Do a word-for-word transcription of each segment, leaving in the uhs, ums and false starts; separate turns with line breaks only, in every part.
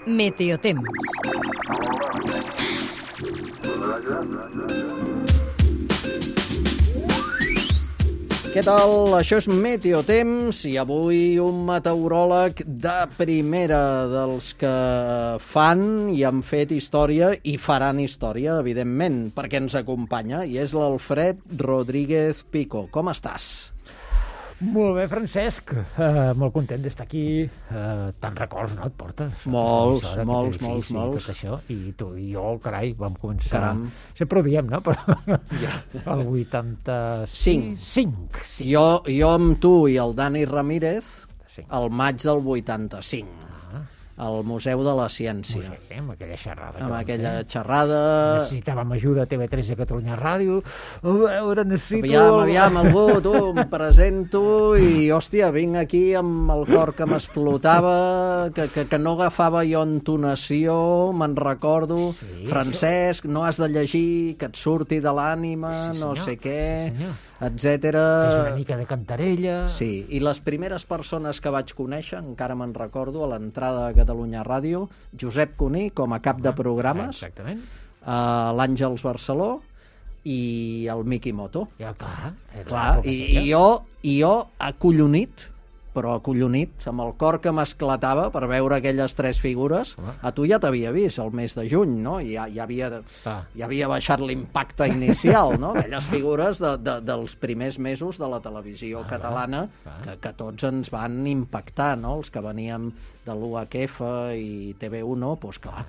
Meteotemps.
Què tal? Això és Meteotemps i avui un meteoròleg de primera, dels que fan i han fet història i faran història, evidentment, perquè ens acompanya, i és l'Alfred Rodríguez Pico. Com estàs?
Molt bé, Francesc. Uh, molt content d'estar aquí. Uh, Tants records, no, et portes?
Molts,
Hora,
molts,
edifici,
molts, molts.
Tot això. I tu i jo, carai, vam començar...
Caram.
Sempre ho diem, no? Però
Ja.
el vuitanta-cinc.
Cinc.
Sí.
Jo, jo amb tu i el Dani Ramírez,
Sí.
al maig del vuitanta-cinc, al Museu de la Ciència.
Sí, amb aquella xerrada. que
Amb
vam
aquella
fer.
xerrada...
Necessitàvem ajuda a T V tres i a Catalunya Ràdio. A veure, necessito...
Aviam, aviam, algú, tu, em presento i, hòstia, vinc aquí amb el cor que m'explotava, que, que, que no agafava jo entonació, me'n recordo.
Sí,
Francesc, no has de llegir, que et surti de l'ànima,
Sí,
no
senyor.
sé què,
Sí, senyor.
etcètera.
És una mica de cantarella.
Sí, i les primeres persones que vaig conèixer, encara me'n recordo, a l'entrada a Catalunya Ràdio, Josep Cuní, com a cap de programes,
Exactament.
uh, l'Àngels Barceló i el Miki Moto.
Ja, clar. era
Clar,
l'època
i,
aquella.
i, jo, i jo acollonit, però acollonit, amb el cor que m'esclatava per veure aquelles tres figures.
Home.
A tu ja t'havia vist el mes de juny, no? I ja, ja, havia,
Ah.
ja havia baixat l'impacte inicial, no? Aquelles figures de, de, dels primers mesos de la televisió
Ah,
catalana
clar.
que, que tots ens van impactar, no? Els que veníem de l'U H F i T V uno, doncs clar,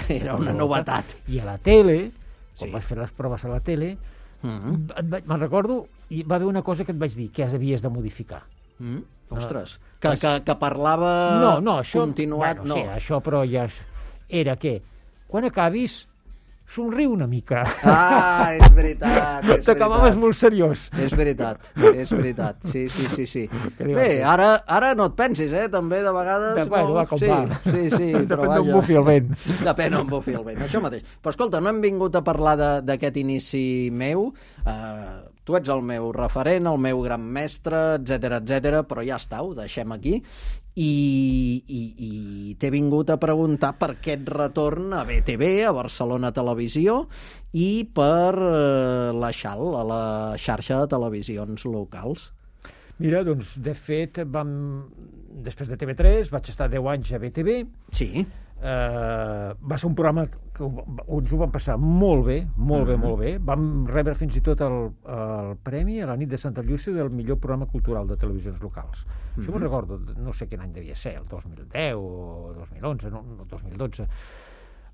era una novetat.
I a la tele, quan
Sí.
vas fer les proves a la tele,
Mm
et vaig- me'n recordo, i va haver una cosa que et vaig dir, que havies de modificar.
-hmm. Ostres, que, que, que parlava
No, no, això...
continuat,
bueno,
no.
sí, això però ja és, era que, quan acabis, somriu una mica.
Ah, és veritat, és
T'acabaves
veritat.
molt seriós.
És veritat, és veritat. Sí, sí, sí, sí.
Que li va
Bé,
fer?
ara, ara no et pensis, eh? També de vegades...
De, bueno, va com
sí,
va.
Sí, sí, però
Depèn d'on
vaja.
bufi el vent.
Depèn d'on bufi el vent, això mateix. Però escolta, no hem vingut a parlar de- d'aquest inici meu. Uh, tu ets el meu referent, el meu gran mestre, etcètera, etcètera, però ja està, ho deixem aquí. I, i, i t'he vingut a preguntar per aquest retorn a B T V, a Barcelona Televisió, i per eh, la X A L, a la xarxa de televisions locals.
Mira, doncs, de fet, vam... després de T V tres vaig estar deu anys a B T V.
Sí,
Uh, va ser un programa que ho- ens ho vam passar molt bé, molt bé,
Mhm.
molt bé. Vam rebre fins i tot el, el premi a la nit de Santa Llúcia del millor programa cultural de televisions locals. Això me'n recordo, no sé quin any devia ser, el dos mil deu o dos mil onze, no, no dos mil dotze.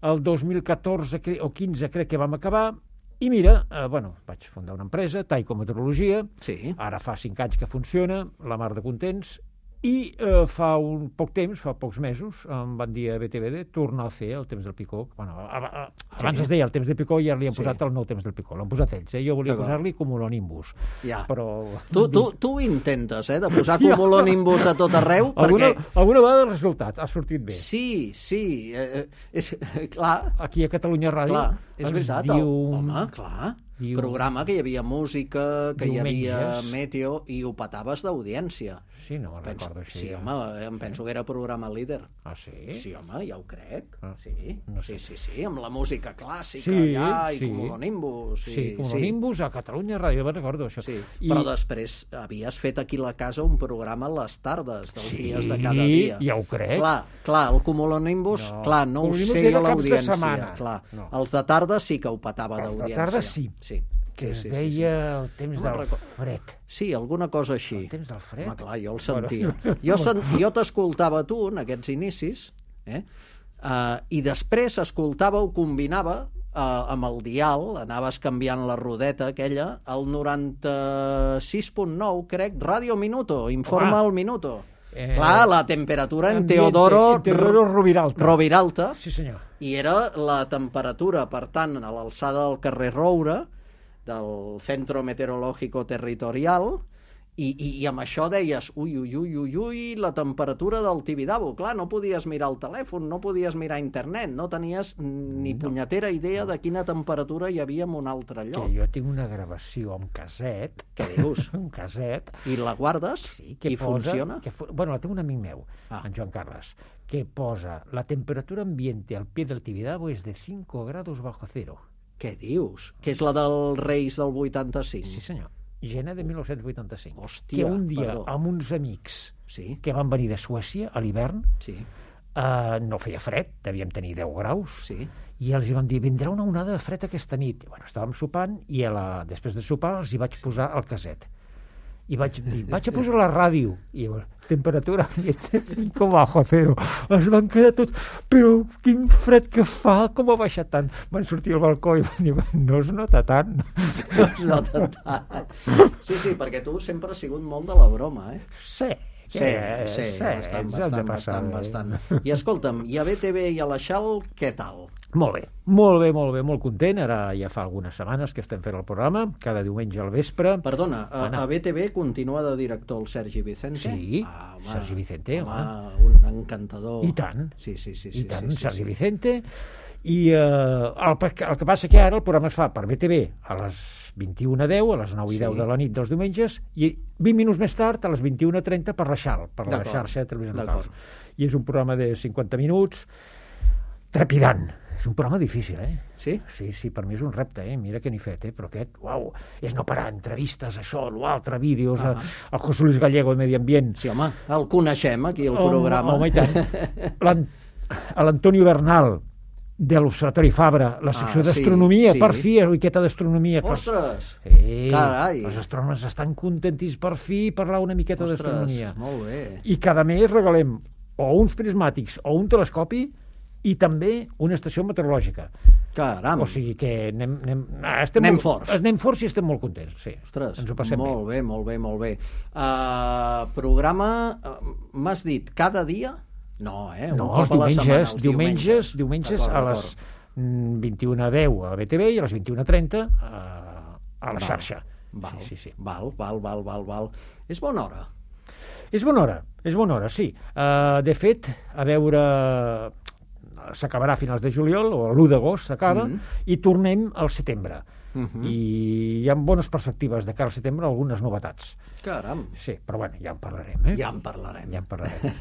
El dos mil catorze cre- o quinze crec que vam acabar, i mira, eh, bueno, vaig fundar una empresa, Taiko Meteorologia,
sí.
ara fa cinc anys que funciona, la mar de contents, i eh, fa un poc temps, fa pocs mesos, em van dir a B T V de tornar a fer el temps del Picó. Bueno, a, a, abans
Sí.
es deia el temps del Picó i ara li han
Sí.
posat el nou temps del Picó. L'han posat ells, eh? Jo volia
D'acord.
posar-li Cumulonimbus.
Ja.
Però...
Tu, tu, tu intentes, eh, de posar cumulonimbus a tot arreu,
Alguna,
perquè...
alguna vegada el resultat ha sortit bé.
Sí, sí, eh, eh, és, clar,
Aquí a Catalunya Ràdio
clar, és
es
veritat.
diu...
El, home, clar,
diu-
programa que hi havia música, que hi havia
Diumenges.
meteo, i ho petaves d'audiència.
Sí, no me'n
Penso,
recordo així.
sí,
eh?
home, em penso que era programa líder.
Ah, sí?
Sí, home, ja ho crec.
Ah,
Sí,
no
sí,
sé.
sí, sí, amb la música clàssica
Sí,
allà, i
sí.
cumulonimbus.
Sí,
Sí,
Cumulonimbus a Catalunya Ràdio, me'n recordo això.
Sí,
I...
però després havies fet aquí a la casa un programa a les tardes, dels
Sí,
dies de cada dia.
ja ho crec.
Clar, clar, el cumulonimbus,
No,
clar, no ho
Cumulonimbus
sé
era
a
caps de
l'audiència.
setmana.
Clar.
No.
Els de tarda sí que ho petava
Els de
d'audiència.
tarda sí.
Sí,
que
sí,
es
sí,
deia
sí, sí.
el temps
No me'n
del
recordo.
fred.
Sí, alguna cosa així.
El temps del fred?
Home, clar, jo el
Bueno.
sentia. Jo, sen... jo t'escoltava a tu en aquests inicis, eh? Uh, i després escoltava o combinava uh, amb el dial, anaves canviant la rodeta aquella, el noranta-sis punt nou, crec, Ràdio Minuto, informa
Home.
el Minuto.
Eh,
Clar, la temperatura en
Ambiente,
Teodoro,
en Teodoro Roviralta.
Roviralta,
Sí, senyor.
i era la temperatura, per tant, a l'alçada del carrer Roure, del Centro Meteorológico Territorial, I, i, i amb això deies, ui, ui, ui, ui, ui, la temperatura del Tibidabo. Clar, no podies mirar el telèfon, no podies mirar internet, no tenies ni punyetera idea de quina temperatura hi havia en un altre lloc.
Que jo tinc una gravació amb caset.
Què dius?
Un caset.
I la guardes?
Sí, que
I
posa,
funciona?
Que fu... Bueno, la té un amic meu,
ah.
en Joan Carles, que posa la temperatura ambiente al pie del Tibidabo es de cinco grados bajo cero.
Què dius? Que és la dels Reis del vuitanta-cinc?
Sí, senyor. Gener de mil nou-cents vuitanta-cinc.
Hòstia,
que un dia,
perdó.
amb uns amics
sí.
que van venir de Suècia a l'hivern,
sí.
eh, no feia fred, devíem tenir deu graus,
sí.
i els hi van dir, vindrà una onada de fred aquesta nit. I, bueno, estàvem sopant, i a la... després de sopar els hi vaig posar el caset. I vaig dir, vaig a posar la ràdio. I bueno, temperatura cinco bajo cero. Es van quedar tots, però quin fred que fa, com ha baixat tant. Van sortir al balcó i van dir, no es nota tant.
No es nota tant. Sí, sí, perquè tu sempre has sigut molt de la broma, eh?
Sí.
Sí, sí, sí, bastant, bastant, bastant, bastant. I escolta'm, i a B T V i a la Xal, què tal?
Molt bé, molt bé, molt bé, molt content. Ara ja fa algunes setmanes que estem fent el programa, cada diumenge al vespre.
Perdona, a, a B T V continua de director el Sergi Vicente?
Sí,
ah, home,
Sergi Vicente, home.
home. Un encantador.
I tant.
Sí, sí, sí.
I
sí,
tant,
sí, sí,
Sergi
sí.
Vicente. I eh, el, el que passa que ara el programa es fa per B T V a les vint-i-una deu, a les nou i deu
sí.
de la nit dels diumenges, i vint minuts més tard, a les vint-i-una trenta, per la Xal, per la xarxa de televisions locals. I és un programa de cinquanta minuts, trepidant. És un programa difícil, eh?
Sí?
Sí, sí, per mi és un repte, eh? Mira que n'hi fet, eh? Però aquest, uau, és no parar, entrevistes, això, l'altre, vídeos, uh -huh. el José Luis Gallego de Medi Ambient.
Sí, home, el coneixem aquí, el
home,
programa.
Home, i tant. L'Antonio Bernal, de l'Observatori Fabra, la secció
ah,
d'astronomia,
sí, sí.
per fi, miqueta d'astronomia.
Ostres!
Sí,
carai!
Els astrònoms estan contentís per fi parlar una miqueta d'astronomia.
Molt bé.
I cada mes regalem o uns prismàtics o un telescopi i també una estació meteorològica.
Caram!
O sigui que anem... Anem, estem
anem
molt,
forts.
Anem forts i estem molt contents, sí.
Ostres,
ens ho passem
molt
bé.
bé, molt bé, molt bé. Uh, programa, uh, m'has dit, cada dia? No, eh? Un
no,
cop
els
a la
diumenges,
setmana, els
diumenges, diumenges a
d'acord,
les vint-i-una deu a B T V i a les vint-i-una trenta a, a la
val,
xarxa.
Val,
sí, sí, sí.
val, val, val, val, val. És bona hora.
És bona hora, és bona hora, sí. Uh, de fet, a veure... s'acabarà a finals de juliol, o l'u d'agost s'acaba, mm -hmm. i tornem al setembre. Mm -hmm. I hi ha bones perspectives de cara al setembre, algunes novetats.
Caram.
Sí, però bueno, ja en parlarem, eh?
Ja en parlarem.
Ja en parlarem.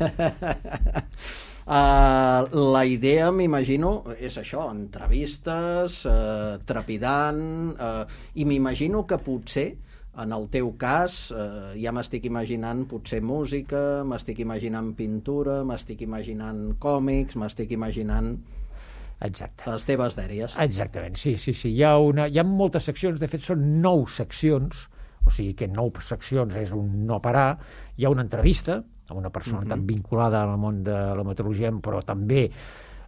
uh, la idea, m'imagino, és això, entrevistes, uh, trepidant, uh, i m'imagino que potser en el teu cas, eh, ja m'estic imaginant potser música, m'estic imaginant pintura, m'estic imaginant còmics, m'estic imaginant
Exacte.
les teves dèries.
Exactament, sí, sí, sí. Hi ha, una, hi ha moltes seccions, de fet són nou seccions, o sigui que nou seccions és un no parar. Hi ha una entrevista amb una personalitat uh-huh. vinculada al món de la meteorologia, però també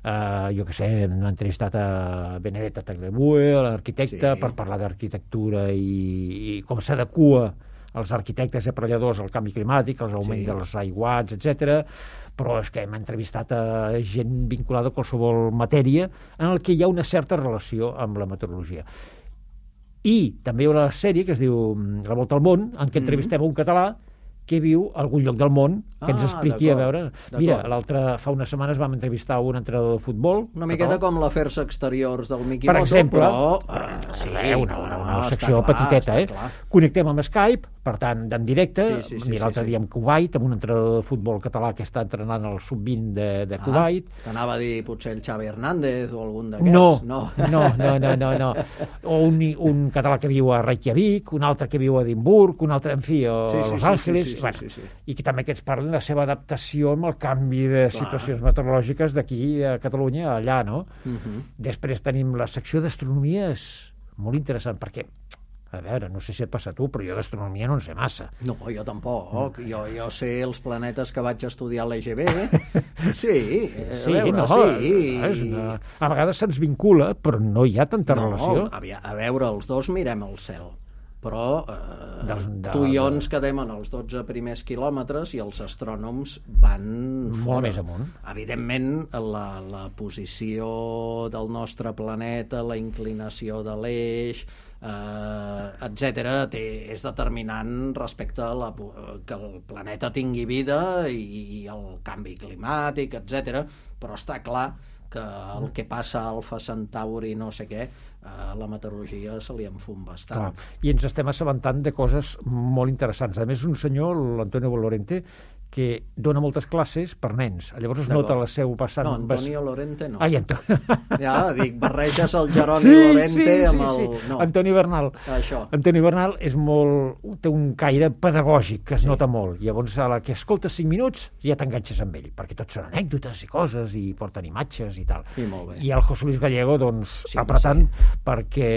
Uh, jo què sé, hem entrevistat a Benedetta Tagliabue, l'arquitecte, sí. per parlar d'arquitectura i, i com s'adequa els arquitectes i aparelladors al canvi climàtic, als augment sí. dels aiguats, etcètera. Però és que hem entrevistat a gent vinculada a qualsevol matèria en el que hi ha una certa relació amb la meteorologia. I també hi ha una sèrie que es diu La volta al món, en què entrevistem mm. un català que viu a algun lloc del món, que ah, ens expliqui, a veure... Mira, l'altre, fa unes setmanes vam entrevistar un entrenador de futbol...
Una miqueta com l'Afers Exteriors del Miki
per
Moto,
exemple,
però...
Uh, sí, una, una, una
ah,
secció
clar,
petiteta, eh?
Clar.
Connectem amb Skype, per tant, en directe.
Sí, sí, sí,
Mira, l'altre
sí, sí.
dia amb Kuwait, amb un entrenador de futbol català que està entrenant el sub vint de, de Kuwait.
Ah, t'anava a dir potser el Xavi Hernández o algun d'aquests.
No,
no,
no, no, no, no, no. O un, un català que viu a Reykjavik, un altre que viu a Edimburg, un altre, en fi, a
sí, sí,
Los
sí,
Angeles...
Sí, sí,
bueno,
sí, sí, sí.
I que també que ens parlen de la seva adaptació amb el canvi de
Clar.
situacions meteorològiques d'aquí a Catalunya a allà, no?
Uh -huh.
Després tenim la secció d'astronomia, és molt interessant, perquè, a veure, no sé si et passa a tu, però jo d'astronomia no en sé massa.
No, jo tampoc. Jo, jo sé els planetes que vaig estudiar a l'E G B. Sí, a veure,
no,
sí.
És una... A vegades se'ns vincula, però no hi ha tanta
no,
relació.
A, a veure, els dos mirem el cel. però eh,
Dels- de-
tu i jo ens quedem en els dotze primers quilòmetres i els astrònoms van
Molt
fora.
més amunt.
Evidentment, la, la posició del nostre planeta, la inclinació de l'eix, eh, etcètera, té, és determinant respecte a la, que el planeta tingui vida i, i el canvi climàtic, etcètera, però està clar que el que passa a Alfa Centauri no sé què, eh, la meteorologia se li enfum bastant.
Clar. I ens estem assabentant de coses molt interessants. A més, un senyor, l'Antonio Lorente, que dona moltes classes per nens. Llavors es nota la seu passant...
No, Antonio Lorente no.
Ai, Antonio...
Ja, dic, barreges el Jeroni
Sí,
Lorente
sí, sí,
amb el...
sí.
No,
Antoni Bernal.
això.
Antoni Bernal és molt... té un caire pedagògic que es
Sí.
nota molt. Llavors, a la que escoltes cinc minuts, ja t'enganxes amb ell, perquè tot són anècdotes i coses, i porten imatges i tal.
I molt bé.
I el José Luis Gallego, doncs,
Sí,
apretant,
sí.
perquè,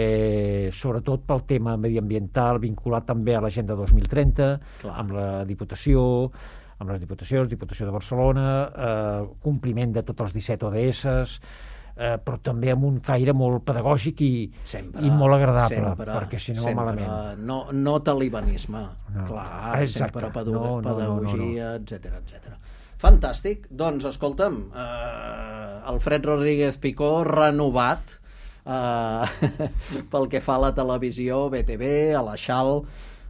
sobretot pel tema mediambiental, vinculat també a l'Agenda dos mil trenta,
Clar.
amb la Diputació, amb les Diputacions, Diputació de Barcelona, eh, compliment de tots els disset O D S, eh, però també amb un caire molt pedagògic i,
Sempre,
i molt agradable,
sempre,
perquè si no
sempre.
malament.
No, no talibanisme,
No.
clar,
Exacte.
sempre pedagogia,
No, no, no,
pedagogia, etcètera, etcètera. Fantàstic. Doncs, escolta'm, eh, Alfred Rodríguez Picó, renovat eh, pel que fa a la televisió, B T V, a la Xal,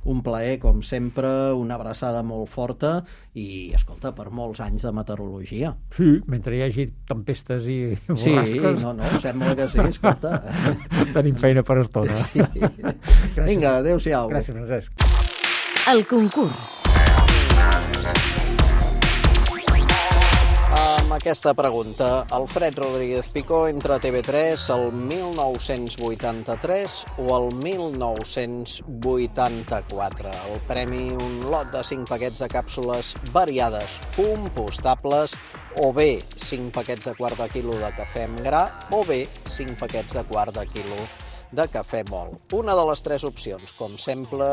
un plaer, com sempre, una abraçada molt forta i, escolta, per molts anys de meteorologia.
Sí, mentre hi hagi tempestes i
Sí,
borrasques,
no, no, sembla que sí, escolta.
tenim feina per estona.
Sí. Vinga, adéu-siau.
Gràcies, Francesc.
El concurs.
Amb aquesta pregunta, Alfred Rodríguez Picó entre T V tres el mil nou-cents vuitanta-tres o el mil nou-cents vuitanta-quatre. El premi, un lot de cinc paquets de càpsules variades compostables, o bé cinc paquets de quart de quilo de cafè amb gra, o bé cinc paquets de quart de quilo de cafè mol. Una de les tres opcions, com sempre,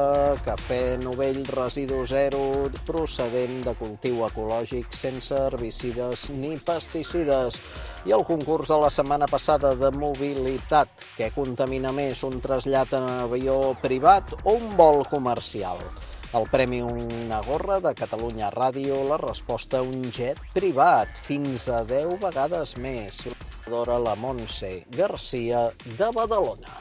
cafè novell residu zero, procedent de cultiu ecològic, sense herbicides ni pesticides. I el concurs de la setmana passada de mobilitat, què contamina més, un trasllat en avió privat o un vol comercial? El premi, una gorra de Catalunya Ràdio, la resposta, un jet privat, fins a deu vegades més. La Montse Garcia de Badalona.